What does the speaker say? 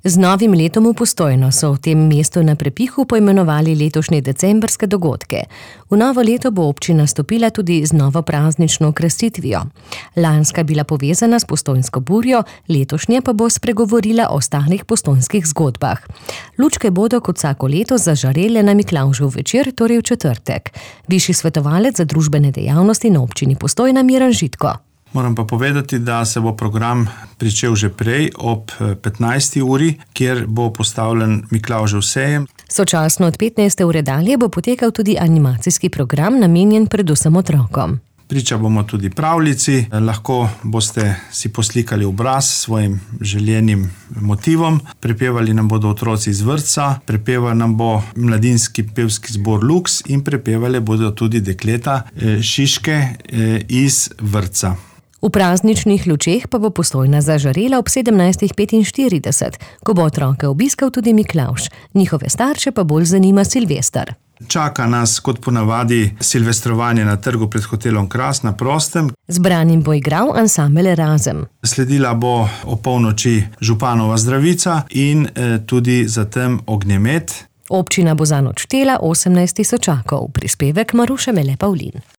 Z novim letom v Postojno so v tem mestu na prepihu poimenovali letošnje decembrske dogodke. V novo leto bo občina stopila tudi z novo praznično okrasitvijo. Lanska je bila povezana s postojnsko burjo, letošnje pa bo spregovorila o starih postojnskih zgodbah. Lučke bodo kot vsako leto zažarele na Miklavžev večer, torej v četrtek. Višji svetovalec za družbene dejavnosti na občini Postojna Miran Žitko. Moram pa povedati, da se bo program pričel že prej ob 15. uri, kjer bo postavljen Miklavžev sejem. Sočasno od 15. ure dalje bo potekal tudi animacijski program, namenjen predvsem otrokom. Priča bomo tudi pravljici, lahko boste si poslikali obraz s svojim željenim motivom. Prepevali nam bodo otroci iz vrtca, prepeval nam bo mladinski pevski zbor Lux in prepevali bodo tudi dekleta Šiške iz vrtca. V prazničnih lučeh pa bo Postojna zažarela ob 17:45, ko bo otroke obiskal tudi Miklavž. Njihove starše pa bolj zanima Silvester. Čaka nas kot ponavadi silvestrovanje na trgu pred hotelom Kras na prostem. Zbranim bo igral ansambel Razem. Sledila bo ob polnoči županova zdravica in tudi zatem ognjemet. Občina bo zanj odštela 18 tisočakov, prispevek Maruše Mele Pavlin.